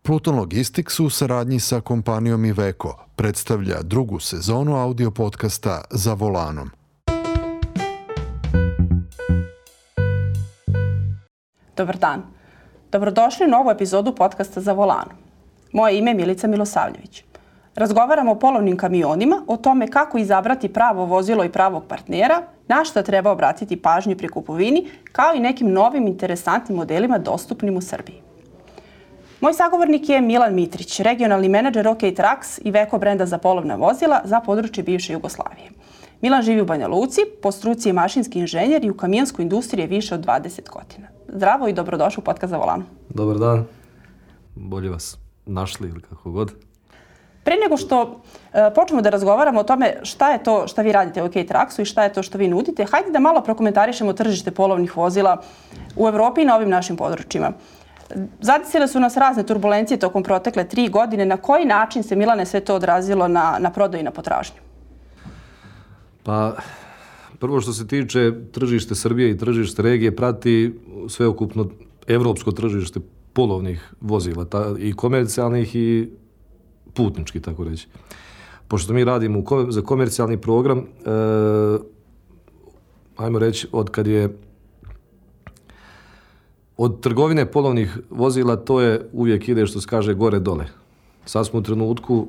Pluton Logistics u saradnji sa kompanijom Iveco predstavlja drugu sezonu audio podcasta Za volanom. Dobar dan. Dobrodošli u novu epizodu podcasta Za volanom. Moje ime je Milica Milosavljević. Razgovaramo o polovnim kamionima, o tome kako izabrati pravo vozilo i pravog partnera, na šta treba obratiti pažnju pri kupovini, kao i nekim novim interesantnim modelima dostupnim u Srbiji. Moj sagovornik je Milan Mitrić, regionalni menadžer OK Trucks i Iveco brenda za polovna vozila za područje bivše Jugoslavije. Milan živi u Banja Luci, po struci je mašinski inženjer i u kamionskoj industriji je više od 20 godina. Zdravo i dobrodošli u podcast Za volanom. Dobar dan. Bolje vas našli ili kako god. Pre nego što počnemo da razgovaramo o tome šta je to što vi radite u OK Trucksu i šta je to što vi nudite, hajde da malo prokomentarišemo tržište polovnih vozila u Evropi i na ovim našim područjima. Zadesile su nas razne turbulencije tokom protekle 3 godine. Na koji način se, Milane, sve to odrazilo na prodaju i na potražnju? Pa, prvo što se tiče tržište Srbije i tržište regije prati sveukupno evropsko tržište polovnih vozila, i komercijalnih i putnički, tako reći. Pošto mi radimo za komercijalni program, ajmo reći, od trgovine polovnih vozila to je uvijek ide, što se kaže, gore dole. Sad smo u trenutku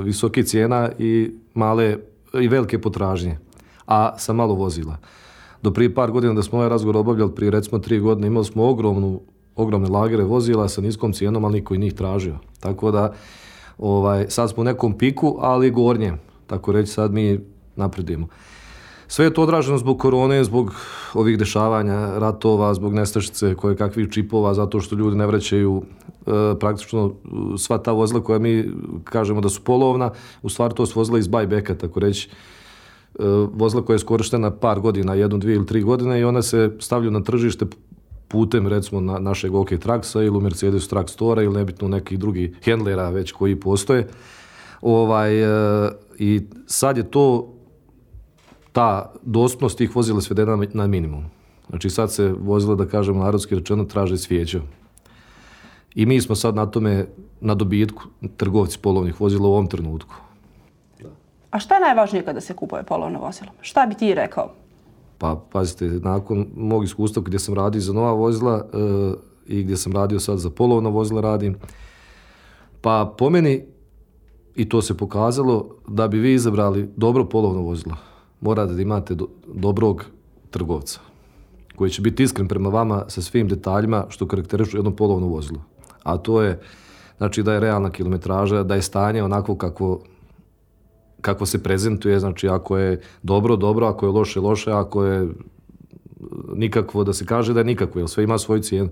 visoke cijena i male i velike potražnje, a sa malo vozila. Do prije par godina da smo ovaj razgovor obavljali, prije recimo 3 godine, imali smo ogromne lagere vozila sa niskom cijenom, ali niko i njih tražio. Tako da sad smo u nekom piku, ali gornjem. Tako reći, sad mi napredujemo. Sve je to odraženo zbog korone, zbog ovih dešavanja, ratova, zbog nestašice kakvih čipova, zato što ljudi ne vraćaju praktično sva ta vozila koja mi kažemo da su polovna, u stvari to su vozila iz buybacka, tako reći, vozila koja je iskorištena par godina, 1, 2 ili 3 godine i ona se stavljaju na tržište putem, recimo, našeg OK Trucksa ili u Mercedes Truck Store ili nebitno nekih drugih handlera već koji postoje. I sad je ta dostupnost tih vozila svedena na minimum. Znači sad se vozila, da kažemo narodski rečeno, traže svijećom. I mi smo sad na dobitku, trgovci polovnih vozila u ovom trenutku. A šta je najvažnije kada se kupuje polovno vozilo? Šta bi ti rekao? Pa, pazite, nakon mog iskustva gdje sam radio za nova vozila i gdje sam radio sad za polovna vozila radim, pa po meni, i to se pokazalo, da bi vi izabrali dobro polovno vozilo, morate da imate dobrog trgovca koji će biti iskren prema vama sa svim detaljima što karakterišu jedno polovno vozilo. A to je, znači, da je realna kilometraža, da je stanje onako kako se prezentuje, znači ako je dobro, ako je loše, ako je nikakvo, da se kaže da je nikakvo, jer sve ima svoju cijenu.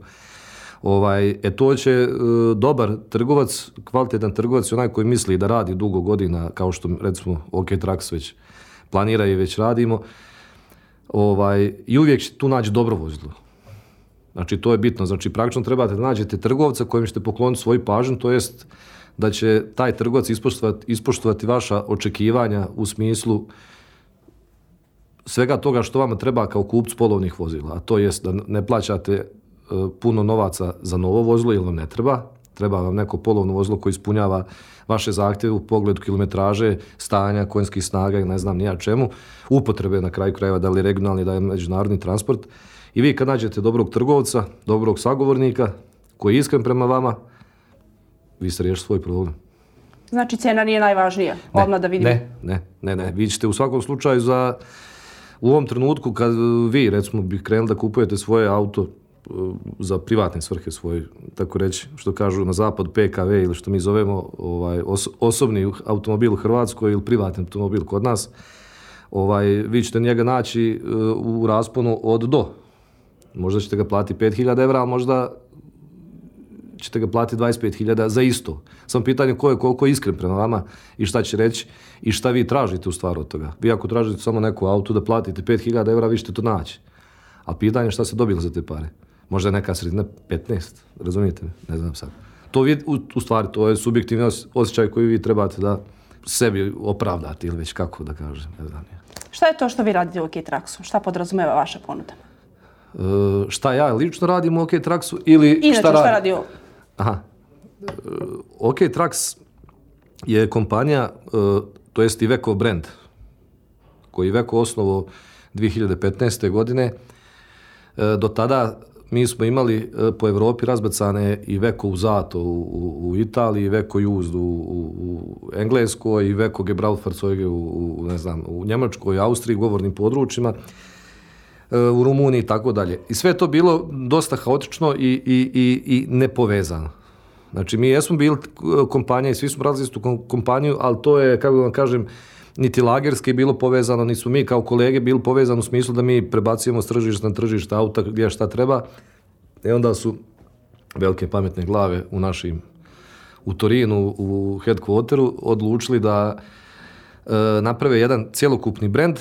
To će dobar trgovac, kvalitetan trgovac, onaj koji misli da radi dugo godina, kao što recimo OK Trucks već planira i već radimo, i uvijek će tu naći dobro vozilo. Znači, to je bitno. Znači, praktično trebate da nađete trgovca kojem ćete pokloniti svoju pažnju, to jest da će taj trgovac ispoštovati vaša očekivanja u smislu svega toga što vama treba kao kupcu polovnih vozila. A to jest da ne plaćate puno novaca za novo vozilo, jer vam ne treba. Treba vam neko polovno vozilo koje ispunjava vaše zahtjeve u pogledu kilometraže, stanja, konjskih snaga i ne znam ni ja čemu, upotrebe na kraju krajeva, da li je regionalni, da je međunarodni transport. I vi kad nađete dobrog trgovca, dobrog sagovornika koji je iskren prema vama, vi ste riješili svoj problem. Znači, cijena nije najvažnija? Odmah da vidimo. Ne. Vi ćete u svakom slučaju u ovom trenutku kad vi, recimo, bi krenuli da kupujete svoje auto za privatne svrhe svoje, tako reći, što kažu na zapad PKV ili što mi zovemo osobni automobil u Hrvatskoj ili privatni automobil kod nas, vi ćete njega naći u rasponu od do. Možda ćete ga platiti 5.000 evra, a možda ćete ga platiti 25.000 za isto. Samo pitanje ko je koliko iskren prema vama i šta će reći i šta vi tražite u stvari od toga. Vi ako tražite samo neku auto da platite 5.000 evra, vi ćete to naći. A pitanje je šta se dobili za te pare. Možda je neka sredina 15, razumijete me? Ne znam sad. To u stvari, to je subjektivni osjećaj koji vi trebate da sebi opravdati ili već kako da kažem. Ne znam. Šta je to što vi radite u OK Trucksu? Šta podrazumeva vaša ponuda? Šta ja lično radim u OK Trucksu ili inače, šta radi ovo? Aha. OK Trucks je kompanija, to jest Iveco brand, koji Iveco osnovao 2015. godine. Do tada mi smo imali po Evropi razbacane Iveco Usato u Italiji, Iveco Used u Engleskoj, Iveco Gebrauchfahrzeuge u Njemačkoj, Austriji, govornim područjima, u Rumuniji i tako dalje. I sve je to bilo dosta haotično i nepovezano. Znači, mi jesmo bili kompanija i svi smo radili istu kompaniju, ali to je, kako vam kažem, niti lagerski bilo povezano, niti smo mi kao kolege bili povezani u smislu da mi prebacujemo s tržišta na tržište auta gdje šta treba. I onda su velike pametne glave u Torinu, u headquarteru, odlučili da naprave jedan cjelokupni brand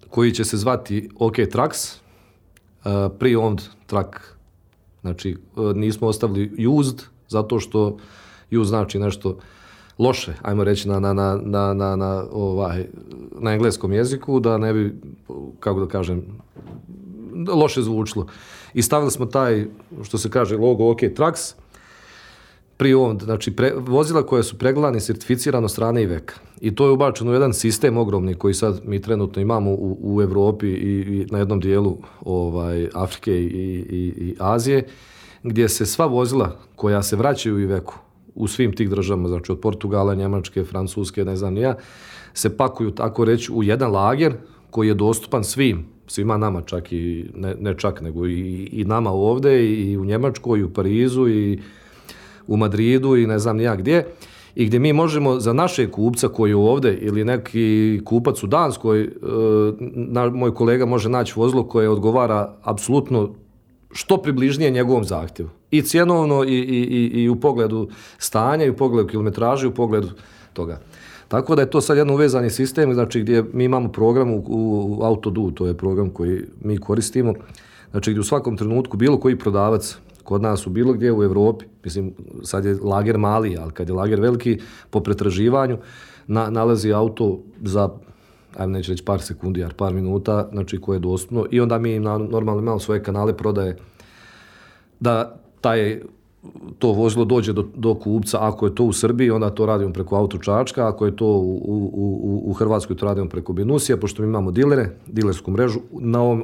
koji će se zvati OK Trucks, pre-owned truck. Znači, nismo ostavili used, zato što used znači nešto loše, ajmo reći na engleskom jeziku, da ne bi, kako da kažem, loše zvučilo. I stavili smo taj, što se kaže, logo OK Trucks, pre-owned, znači vozila koja su pregledana i certificirana od strane Iveca. I to je ubačeno u jedan sistem ogromni koji sad mi trenutno imamo u Evropi i na jednom dijelu Afrike i Azije, gdje se sva vozila koja se vraćaju u Ivecu u svim tih državama, znači od Portugala, Njemačke, Francuske, ne znam ni ja, se pakuju, tako reći, u jedan lager koji je dostupan svima nama, čak i ne čak, nego i nama ovdje, i u Njemačkoj, i u Parizu, i u Madridu, i ne znam ni ja gdje, i gdje mi možemo za našeg kupca koji je ovdje ili neki kupac u Danskoj, moj kolega može naći vozilo koje odgovara apsolutno što približnije njegovom zahtjevu. I cjenovno, i u pogledu stanja, i u pogledu kilometraže, i u pogledu toga. Tako da je to sad jedan uvezani sistem, znači gdje mi imamo program u AutoDo, to je program koji mi koristimo, znači gdje u svakom trenutku bilo koji prodavac kod nas u bilo gdje u Evropi, mislim sad je lager mali, ali kad je lager veliki, po pretraživanju nalazi auto za, ajmo neće reći par sekundi, par minuta, znači koje je dostupno, i onda mi normalno imamo svoje kanale prodaje da to vozilo dođe do kupca. Ako je to u Srbiji, onda to radimo preko Auto Čačka, ako je to u Hrvatskoj, to radimo preko Benusija, pošto mi imamo dilersku mrežu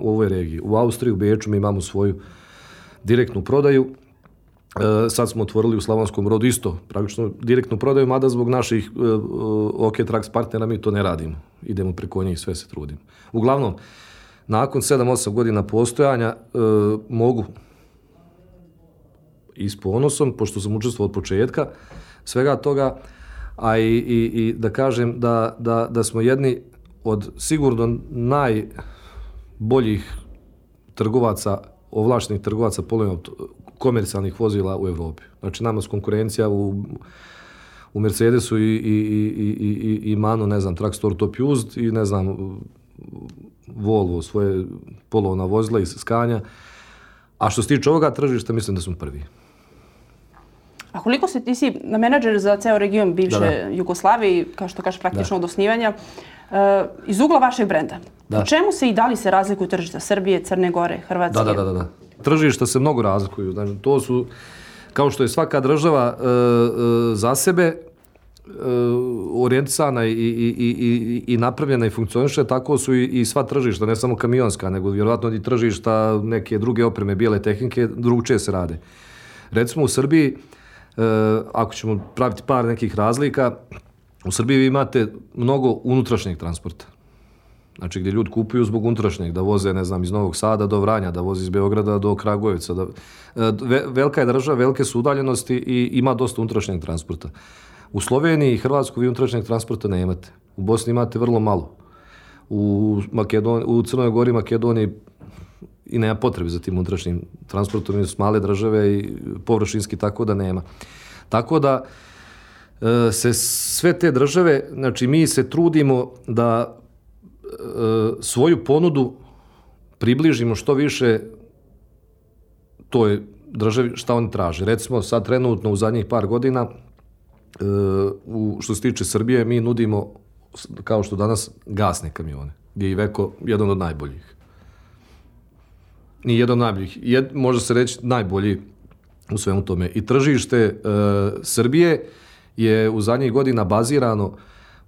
u ovoj regiji. U Austriji, u Beču mi imamo svoju direktnu prodaju. Sad smo otvorili u Slavonskom Brodu isto, praktično direktnu prodaju, mada zbog naših OK Trucks partnera mi to ne radimo. Idemo preko njih, sve se trudimo. Uglavnom, nakon 7-8 godina postojanja mogu i s ponosom, pošto sam učestvovao od početka svega toga, a i da kažem da smo jedni od sigurno najboljih trgovaca, ovlaštenih trgovaca komercijalnih vozila u Evropi. Znači, nama je konkurencija u Mercedesu i Manu, ne znam, Truckstore Top Used i ne znam, Volvo, svoje polovna vozila iz Scania. A što se tiče ovoga tržišta, mislim da smo prvi. A koliko ti si menadžer za ceo region bivše Jugoslavije, kao što kažeš praktično od osnivanja, iz ugla vašeg brenda? Po čemu se i da li se razlikuju tržišta Srbije, Crne Gore, Hrvatske? Da. Tržišta se mnogo razlikuju. Znači, to su, kao što je svaka država za sebe orijentisana i napravljena i funkcioniše, tako su i sva tržišta, ne samo kamionska, nego vjerojatno i tržišta neke druge opreme, bijele tehnike, drugčije se rade. Recimo u Srbiji, ako ćemo praviti par nekih razlika, u Srbiji vi imate mnogo unutrašnjeg transporta. Znači gdje ljudi kupuju zbog unutrašnjeg, da voze, ne znam, iz Novog Sada do Vranja, da voze iz Beograda do Kragujevca. Velika je država, velike su udaljenosti i ima dosta unutrašnjeg transporta. U Sloveniji i Hrvatskoj vi unutrašnjeg transporta ne imate. U Bosni imate vrlo malo. U Crnoj Gori, Makedoniji i nema potrebe za tim unutrašnjim transportom, su male države i površinski, tako da nema. Tako da se sve te države, znači mi se trudimo da svoju ponudu približimo što više toj državi šta oni traže. Recimo sad trenutno u zadnjih par godina što se tiče Srbije mi nudimo, kao što danas, gasne kamione, gdje je Iveco jedan od najboljih. Nije jedan od najboljih, može se reći najbolji u svemu tome. I tržište Srbije je u zadnjih godina bazirano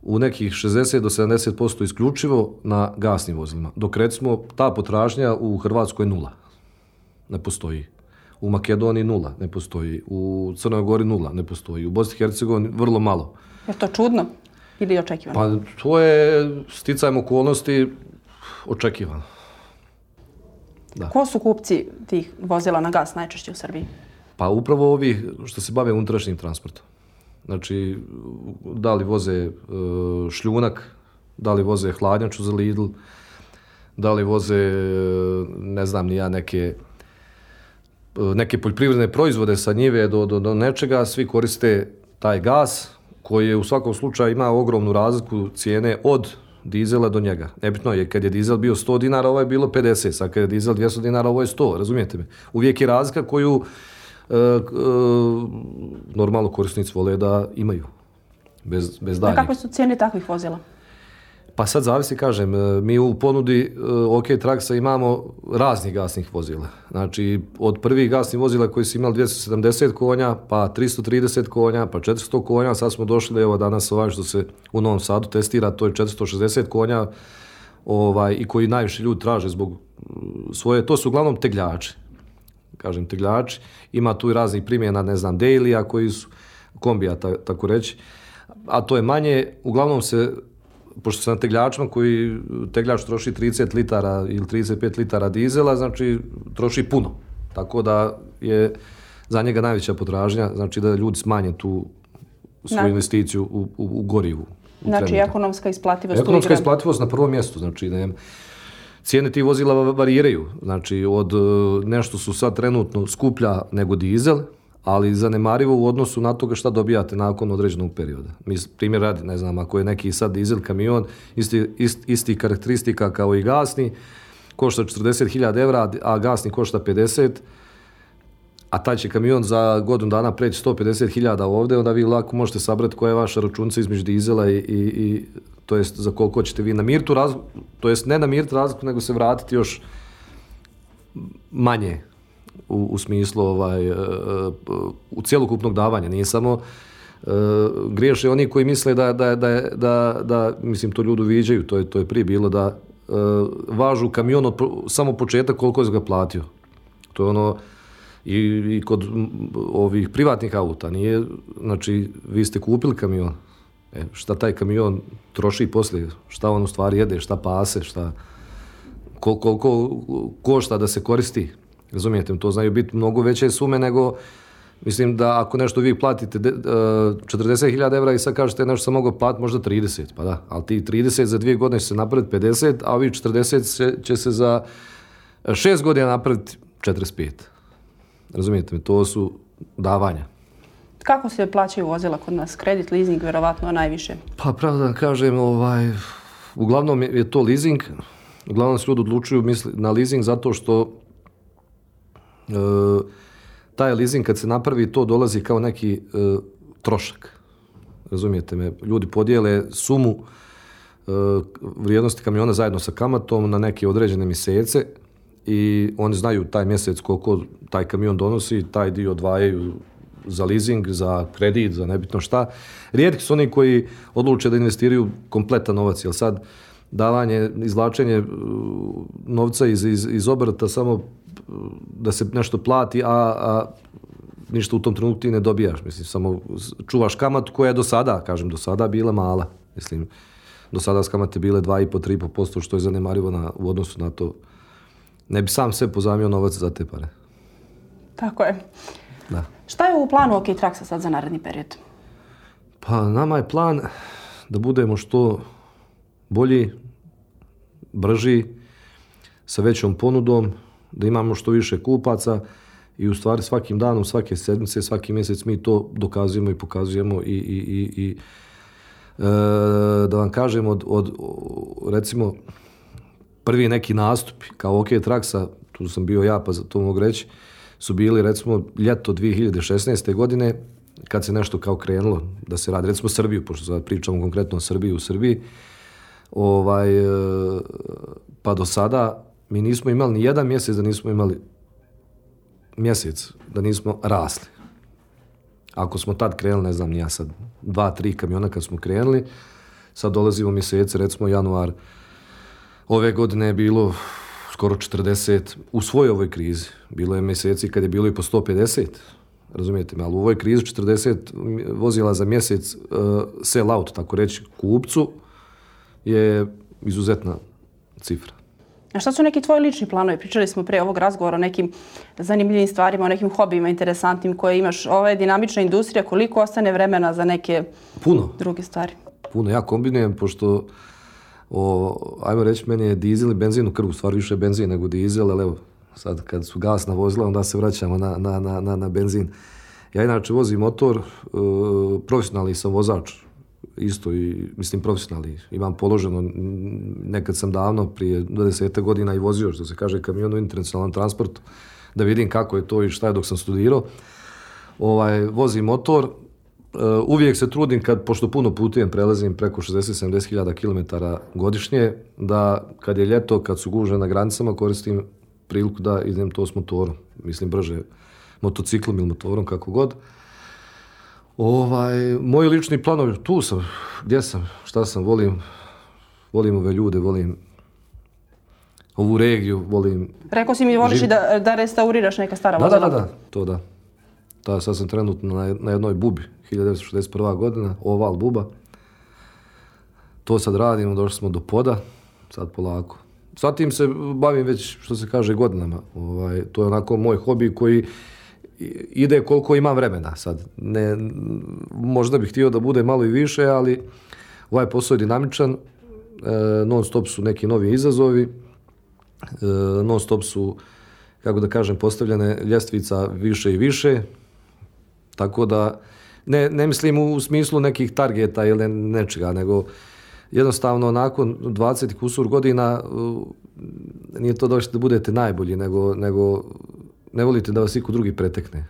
u nekih 60 do 70% isključivo na gasnim vozilima. Dok recimo ta potražnja u Hrvatskoj nula. Ne postoji. U Makedoniji nula. Ne postoji. U Crnoj Gori nula. Ne postoji. U Bosni i Hercegovini vrlo malo. Je to čudno ili očekivano? Pa to je sticajem okolnosti očekivano. Da. Ko su kupci tih vozila na gas najčešće u Srbiji? Pa upravo ovi što se bave unutrašnjim transportom. Znači, da li voze šljunak, da li voze hladnjaču za Lidl, da li voze, ne znam ni ja, neke poljoprivredne proizvode sa njive do nečega, svi koriste taj gas koji je u svakom slučaju ima ogromnu razliku cijene od dizela do njega. Nebitno je, kad je dizel bio 100 dinara, ovo je bilo 50, sad kad je dizel 200 dinara, ovo je 100, razumijete me? Uvijek je razlika koju normalno korisnici vole da imaju, bez daljnjeg. Kakve su cijene takvih vozila? Pa sad zavisi, kažem, mi u ponudi OK Traxa imamo raznih gasnih vozila. Znači, od prvih gasnih vozila koji su imali 270 konja, pa 330 konja, pa 400 konja, sad smo došli, evo danas što se u Novom Sadu testira, to je 460 konja i koji najviše ljudi traže zbog svoje, to su uglavnom tegljači. Kažem, tegljači. Ima tu i raznih primjena, ne znam, dailya koji su kombija, tako reći. A to je manje, uglavnom se, pošto se na tegljačima koji tegljač troši 30 litara ili 35 litara dizela, znači troši puno. Tako da je za njega najveća potražnja, znači da ljudi smanje tu svoju investiciju u gorivu. Znači ekonomska isplativost. Ekonomska isplativost na prvom mjestu, znači cijene tih vozila variraju, znači od nešto su sad trenutno skuplja nego dizel, ali zanemarivo u odnosu na toga šta dobijate nakon određenog perioda. Primjer radi, ne znam, ako je neki sad dizel kamion, isti karakteristika kao i gasni, košta 40.000 evra, a gasni košta 50, a taj će kamion za godinu dana preći 150.000 ovdje, onda vi lako možete sabrati koja je vaša računica između dizela i to jest za koliko ćete vi namiriti razliku, to jest ne namiriti razliku, nego se vratiti još manje u smislu u cjelokupnog davanja. Nije samo griješe oni koji misle da mislim, to ljudi uviđaju, to je prije bilo da važu kamion od samo početak koliko je ga platio. To je ono i kod ovih privatnih auta. Nije, znači, vi ste kupili kamion, šta taj kamion troši poslije, šta on u stvari jede, šta pase, koliko košta da se koristi. Razumijete, to znaju biti mnogo veće sume nego, mislim da ako nešto vi platite 40.000 evra i sad kažete nešto sam mogao platiti možda 30, pa da, ali ti 30 za 2 godine će se napraviti 50, a ovi 40 će se za 6 godina napraviti 45. Razumijete me, to su davanja. Kako se plaćaju vozila kod nas? Kredit, leasing, vjerovatno najviše? Pa pravo da kažem, uglavnom je to leasing. Uglavnom se ljudi odlučuju na leasing zato što taj leasing kad se napravi to dolazi kao neki trošak. Razumijete me, ljudi podijele sumu vrijednosti kamiona zajedno sa kamatom na neke određene mjesece i oni znaju taj mjesec koliko taj kamion donosi, taj dio odvajaju za leasing, za kredit, za nebitno šta. Rijetki su oni koji odluče da investiraju kompletan novac, jer sad davanje, izvlačenje novca iz obrta samo da se nešto plati, a ništa u tom trenutku ti ne dobijaš. Mislim, samo čuvaš kamatu koja je do sada bila mala. Mislim, do sada s kamate bile 2,5-3,5%, što je zanemarivo u odnosu na to. Ne bi sam sve pozajmio novac za te pare. Tako je. Da. Šta je u planu OK Traxa sad za naredni period? Pa nama je plan da budemo što bolji, brži, sa većom ponudom, da imamo što više kupaca i u stvari svakim danom, svake sedmice, svaki mjesec mi to dokazujemo i pokazujemo i da vam kažem od recimo prvi neki nastupi kao OK Traxa, tu sam bio ja pa za to mogu reći, su bili recimo ljeto 2016. godine kad se nešto kao krenulo da se radi, recimo Srbiju, pošto sad pričamo konkretno o Srbiji, u Srbiji, pa do sada mi nismo imali ni jedan mjesec da nismo imali mjesec da nismo rasli. Ako smo tad krenuli, ne znam, ja sad 2-3 kamiona kad smo krenuli, sad dolazimo mjesece, recimo januar, ove godine je bilo skoro 40, u svojoj ovoj krizi. Bilo je mjeseci kad je bilo i po 150, razumijete me, ali u ovoj krizi 40 vozila za mjesec sell out, tako reći, kupcu je izuzetna cifra. A šta su neki tvoji lični planovi? Pričali smo pre ovog razgovora o nekim zanimljivim stvarima, o nekim hobijima interesantnim koje imaš. Ova je dinamična industrija, koliko ostane vremena za neke druge stvari? Puno. Ja kombinujem, pošto ajmo reći, meni je dizel i benzin u krvu, stvar više benzin nego dizel, ali evo, sad kad su gasna vozila, onda se vraćamo na benzin. Ja inače vozim motor, profesionalni sam vozač, isto i, mislim, profesionalni. Imam položeno, nekad sam davno, prije 20 godina i vozio, što se kaže, kamion u internacionalnom transportu, da vidim kako je to i šta je dok sam studirao. Vozim motor, uvijek se trudim, pošto puno putujem, prelazim preko 60-70 hiljada kilometara godišnje, da kad je ljeto, kad su gužve na granicama, koristim priliku da idem to s motorom. Mislim, brže motociklom ili motorom, kako god. Moji lični planovi, tu sam, gdje sam, šta sam, volim ove ljude, volim ovu regiju, volim... Rekao si mi voliš i da restauriraš neka stara vozila. Da, to da. Sad sam trenutno na jednoj bubi, 1961. godina, oval buba. To sad radimo, došli smo do poda, sad polako. Sad tim se bavim već, što se kaže, godinama. To je onako moj hobi koji ide koliko imam vremena sad. Možda bih htio da bude malo i više, ali ovaj posao je dinamičan, non stop su neki novi izazovi, non stop su, kako da kažem, postavljene ljestvica više i više, tako da ne mislim u smislu nekih targeta ili nečega, nego jednostavno nakon 20 kusur godina nije to došli da budete najbolji, nego ne volite da vas iko drugi pretekne.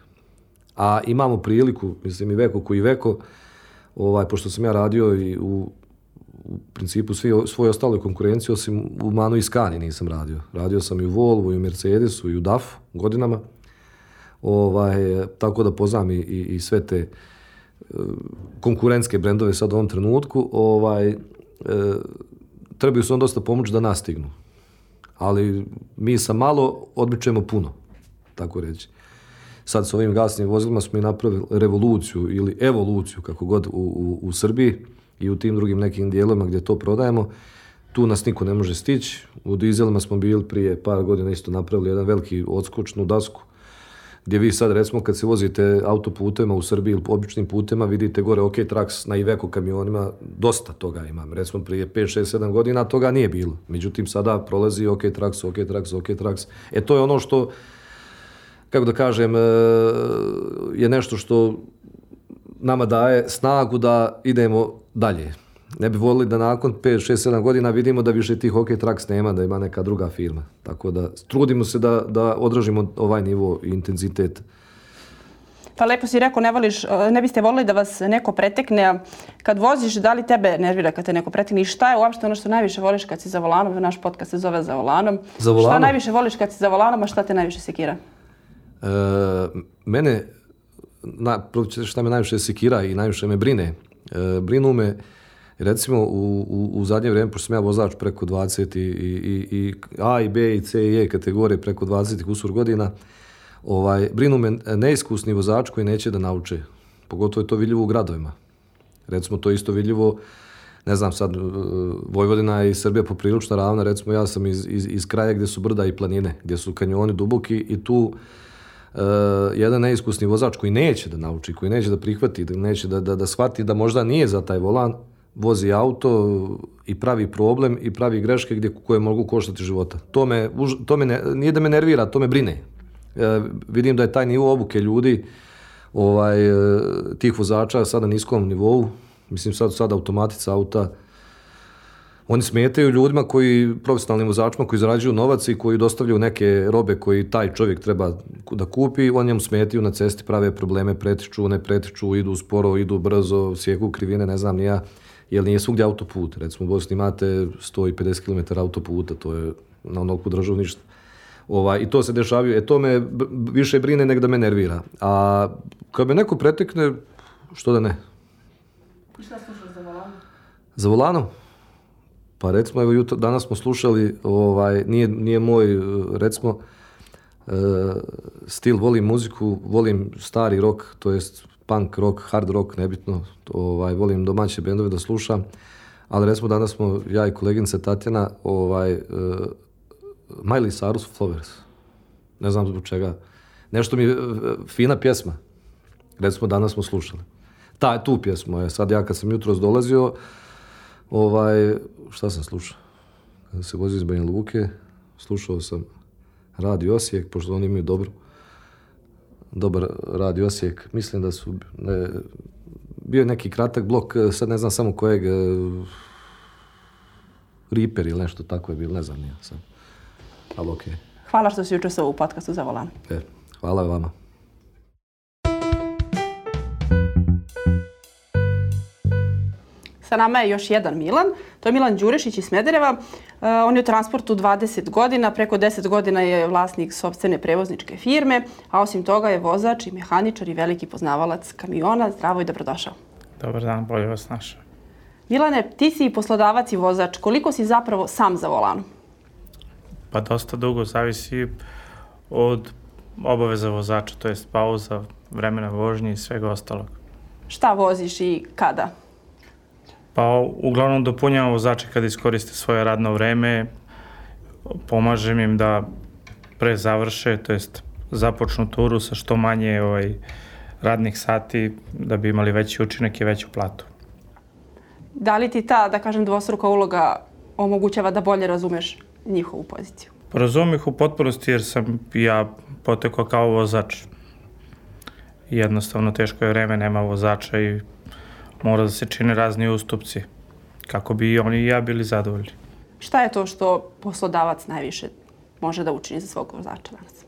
A imamo priliku, mislim i veko koji veko, pošto sam ja radio i u principu svoj ostaloj konkurenciji, osim u Manu i Scani nisam radio. Radio sam i u Volvu, i u Mercedesu, i u DAF godinama. Tako da poznam i sve te konkurentske brendove sad u ovom trenutku. Trebaju se on dosta pomoći da nas stignu. Ali mi sa malo odmičemo puno, tako reći. Sad s ovim gasnim vozilima smo i napravili revoluciju ili evoluciju, kako god, u Srbiji i u tim drugim nekim dijelovima gdje to prodajemo. Tu nas niko ne može stići. U dizelima smo bili prije par godina isto napravili jedan veliki odskočnu dasku, gdje vi sad, recimo, kad se vozite autoputema u Srbiji ili običnim putema, vidite gore OK Trax na Iveco kamionima, dosta toga imam. Recimo, prije 5, 6, 7 godina toga nije bilo. Međutim, sada prolazi OK Trax. To je ono što, kako da kažem, je nešto što nama daje snagu da idemo dalje. Ne bi volili da nakon 5, 6, 7 godina vidimo da više tih OK Trax nema, da ima neka druga firma. Tako da trudimo se da odražimo ovaj nivo i intenzitet. Pa lepo si rekao, ne biste volili da vas neko pretekne. Kad voziš, da li tebe nervira kad te neko pretekne? I šta je uopšte ono što najviše voliš kad si za volanom? Naš podcast se zove Za volanom. Za volanom? Šta najviše voliš kad si za volanom, a šta te najviše sekira? Mene, šta me najviše sekira i najviše me brine, brinu me, recimo u zadnje vrijeme, pošto sam ja vozač preko 20 i A i B i C i E kategorije preko 20 kusur godina, brinu me neiskusni vozač koji neće da nauče. Pogotovo je to vidljivo u gradovima. Recimo, to je isto vidljivo, ne znam sad, Vojvodina i Srbija poprilično ravna. Recimo, ja sam iz kraja gdje su brda i planine, gdje su kanjoni duboki i tu jedan neiskusni vozač koji neće da nauči, koji neće da prihvati, neće da shvati da možda nije za taj volan, vozi auto i pravi problem i pravi greške koje mogu koštati života. To me nije da me nervira, to me brine. Vidim da je taj nivo obuke ljudi, tih vozača sada na niskom nivou. Mislim, sad automatica auta, oni smetaju ljudima profesionalnim vozačima koji zarađuju novac i koji dostavljaju neke robe koji taj čovjek treba da kupi, oni njemu smetaju na cesti, prave probleme, pretiču, ne pretiču, idu sporo, idu brzo, sjeku krivine, ne znam ni ja, jer nije svugdje autoput. Recimo u Bosni imate 150 km autoputa, to je na onoliko državu ništa. I to se dešavaju. To me više brine nego da me nervira. A kad me neko pretekne, što da ne? I šta slušaš za volanom? Za volanom? Pa recimo, evo danas smo slušali, nije moj, recimo, stil, volim muziku, volim stari rock, to jest punk rock, hard rock, nebitno, volim domaće bendove da slušam, ali recimo danas smo, ja i koleginica Tatjana, Miley Cyrus Flowers, ne znam zbog čega, nešto mi je fina pjesma, recimo danas smo slušali. Tu pjesmu, sad ja kad sam jutros dolazio, šta sam slušao? Kada se vozio iz Banja Luke, slušao sam Radio Osijek, pošto oni imaju dobar Radio Osijek. Mislim da su, bio je neki kratak blok, sad ne znam samo kojeg, Reaper ili nešto tako je bilo, ne znam nije sad. Ali okej. Hvala što si učestvovao u podcastu Za volan. Hvala vama. Sa nama je još jedan Milan, to je Milan Đurešić iz Smedereva. On je u transportu 20 godina, preko 10 godina je vlasnik sopstvene prevozničke firme, a osim toga je vozač i mehaničar i veliki poznavalac kamiona. Zdravo i dobrodošao. Dobar dan, bolje vas našao. Milane, ti si i poslodavac i vozač. Koliko si zapravo sam za volanom? Pa dosta dugo, zavisi od obaveza vozača, to jest pauza, vremena vožnje i svega ostalog. Šta voziš i kada? Pa uglavnom dopunjavam vozače kada iskoriste svoje radno vreme, pomažem im da pre završe, to jest započnu turu sa što manje radnih sati da bi imali veći učinak i veću platu. Da li ti ta, da kažem, dvostruka uloga omogućava da bolje razumeš njihovu poziciju? Razumem ih u potpunosti jer sam ja potekao kao vozač. Jednostavno teško je vreme, nema vozača i mora da se čine razni ustupci kako bi i oni i ja bili zadovoljni. Šta je to što poslodavac najviše može da učini za svog vozača danas?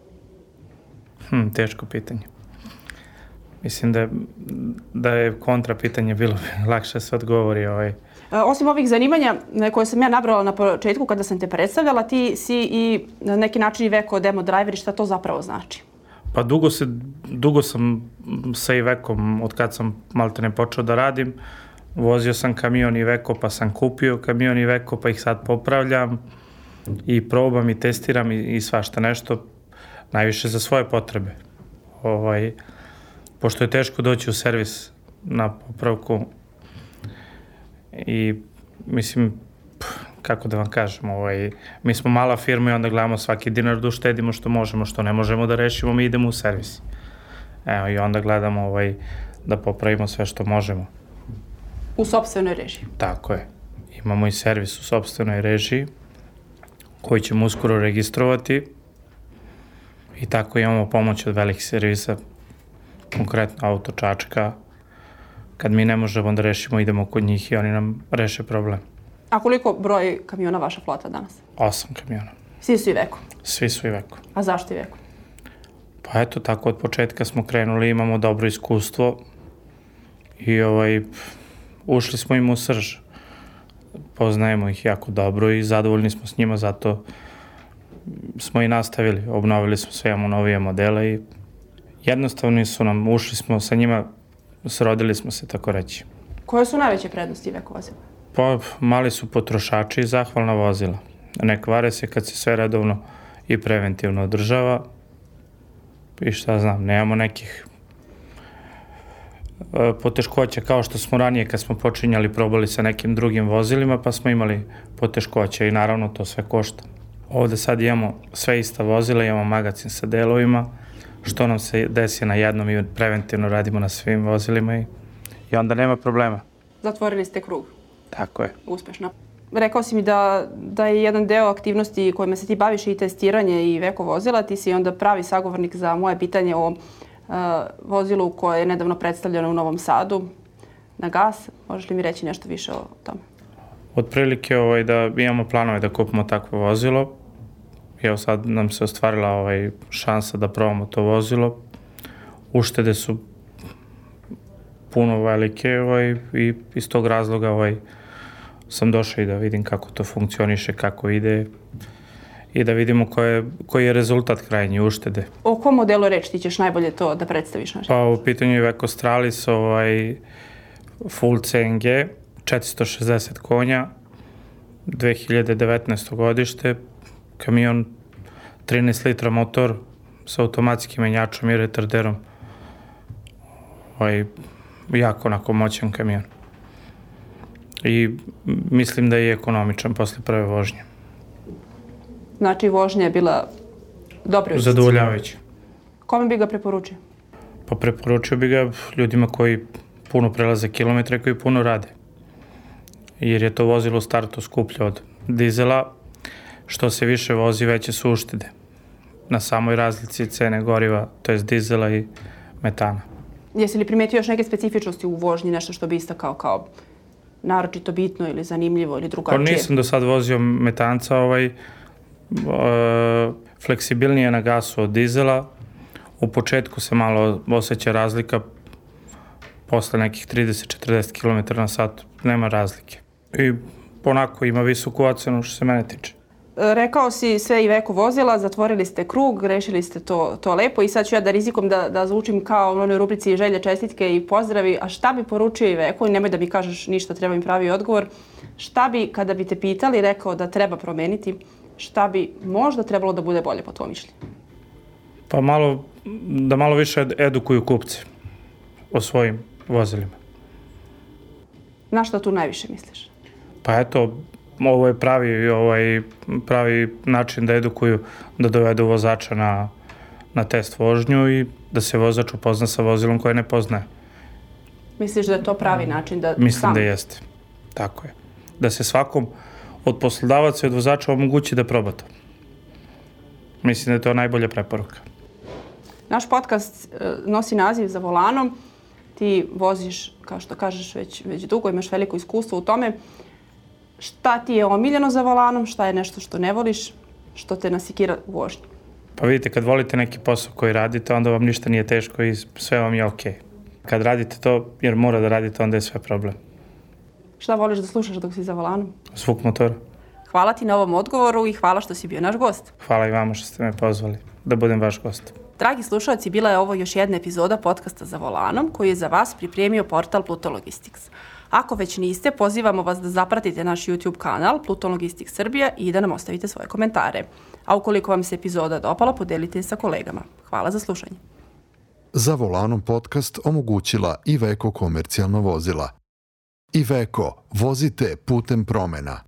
Teško pitanje. Mislim da je kontra pitanje bilo lakše se odgovori. Osim ovih zanimanja koje sam ja nabrala na početku kada sam te predstavljala, ti si i na neki način i Iveco demo driver i šta to zapravo znači? Pa dugo sam sa Ivekom, od kad sam maltene počeo da radim. Vozio sam kamion Iveco, pa sam kupio kamion Iveco, pa ih sad popravljam i probam i testiram i svašta nešto, najviše za svoje potrebe. Pošto je teško doći u servis na popravku i mislim, kako da vam kažem, mi smo mala firma i onda gledamo svaki dinar da uštedimo što možemo, što ne možemo da rešimo, mi idemo u servis. I onda gledamo da popravimo sve što možemo. U sopstvenoj režiji? Tako je. Imamo i servis u sopstvenoj režiji koji ćemo uskoro registrovati i tako imamo pomoć od velikih servisa, konkretno Auto Čačka. Kad mi ne možemo da rešimo, idemo kod njih i oni nam reše problem. A koliko broj kamiona vaša flota danas? 8 kamiona. Svi su Iveco? Svi su Iveco. A zašto Iveco? Pa eto, tako od početka smo krenuli, imamo dobro iskustvo i ušli smo im u srž. Poznajemo ih jako dobro i zadovoljni smo s njima, zato smo i nastavili. Obnovili smo sve, imamo novije modele i jednostavno su nam, ušli smo sa njima, srodili smo se, tako reći. Koje su najveće prednosti Iveco vozila? Pa mali su potrošači i zahvalna vozila. Ne kvare se kad se sve redovno i preventivno održava. I šta znam, nemamo nekih poteškoća kao što smo ranije kad smo počinjali, probali sa nekim drugim vozilima, pa smo imali poteškoća i naravno to sve košta. Ovde sad imamo sve ista vozila, imamo magacin sa delovima, što nam se desi na jednom i preventivno radimo na svim vozilima i onda nema problema. Zatvorili ste krug. Tako je. Uspešno. Rekao si mi da je jedan deo aktivnosti kojima se ti baviš i testiranje i Iveco vozila. Ti si onda pravi sagovornik za moje pitanje o vozilu koje je nedavno predstavljeno u Novom Sadu na gas. Možeš li mi reći nešto više o tome? Otprilike da imamo planove da kupimo takvo vozilo. Evo sad nam se ostvarila šansa da probamo to vozilo. Uštede su puno velike i iz tog razloga sam došao i da vidim kako to funkcioniše, kako ide i da vidimo koji je rezultat krajnji uštede. O kom modelu reči ti ćeš najbolje to da predstaviš? Pa u pitanju je Iveco Stralis, full CNG, 460 konja, 2019. godište, kamion 13 litra motor sa automatskim menjačom i retarderom. Jako onako moćan kamion. I mislim da je ekonomičan posle prve vožnje. Znači vožnja je bila dobra? Zadovoljavajuća. Kome bi ga preporučio? Pa preporučio bi ga ljudima koji puno prelaze kilometre, koji puno rade. Jer je to vozilo u startu skuplje od dizela. Što se više vozi, veće su uštede. Na samoj razlici cene goriva, to je dizela i metana. Jesi li primetio još neke specifičnosti u vožnji, nešto što bi istakao kao naročito bitno ili zanimljivo ili drugačije? Pa nisam do sad vozio metanca, fleksibilnije na gasu od dizela. U početku se malo osjeća razlika, posle nekih 30-40 km na sat nema razlike. I onako ima visoku ocenu što se mene tiče. Rekao si sve Iveco vozila, zatvorili ste krug, rešili ste to lepo i sad ću ja da rizikom da zvučim kao u onoj rubrici želje, čestitke i pozdravi. A šta bi poručio Iveco? Nemoj da mi kažeš ništa, treba mi pravi odgovor. Šta bi, kada bi te pitali, rekao da treba promeniti, šta bi možda trebalo da bude bolje po tvojom mišljenju? Pa da malo više edukuju kupce o svojim vozilima. Na šta tu najviše misliš? Pa eto, ovo je pravi način da edukuju, da dovedu vozača na test vožnju i da se vozač upozna sa vozilom koje ne poznaje. Misliš da je to pravi način da Mislim da jeste. Tako je. Da se svakom od poslodavaca i od vozača omogući da proba to. Mislim da je to najbolja preporuka. Naš podcast nosi naziv Za volanom. Ti voziš, kao što kažeš, već dugo, imaš veliko iskustvo u tome. Šta ti je omiljeno za volanom, šta je nešto što ne voliš, što te nasikira u vožnji? Pa vidite, kad volite neki posao koji radite, onda vam ništa nije teško i sve vam je okej. Kad radite to, jer mora da radite, onda je sve problem. Šta voliš da slušaš dok si za volanom? Zvuk motora. Hvala ti na ovom odgovoru i hvala što si bio naš gost. Hvala i vama što ste me pozvali da budem vaš gost. Dragi slušalci, bila je ovo još jedna epizoda podcasta Za volanom koji je za vas pripremio portal Pluto Logistics. Ako već niste, pozivamo vas da zapratite naš YouTube kanal Pluto Logistics Srbija i da nam ostavite svoje komentare. A ukoliko vam se epizoda dopala, podelite je sa kolegama. Hvala za slušanje. Za volanom podcast omogućila Iveco komercijalna vozila. Iveco, vozite putem promena.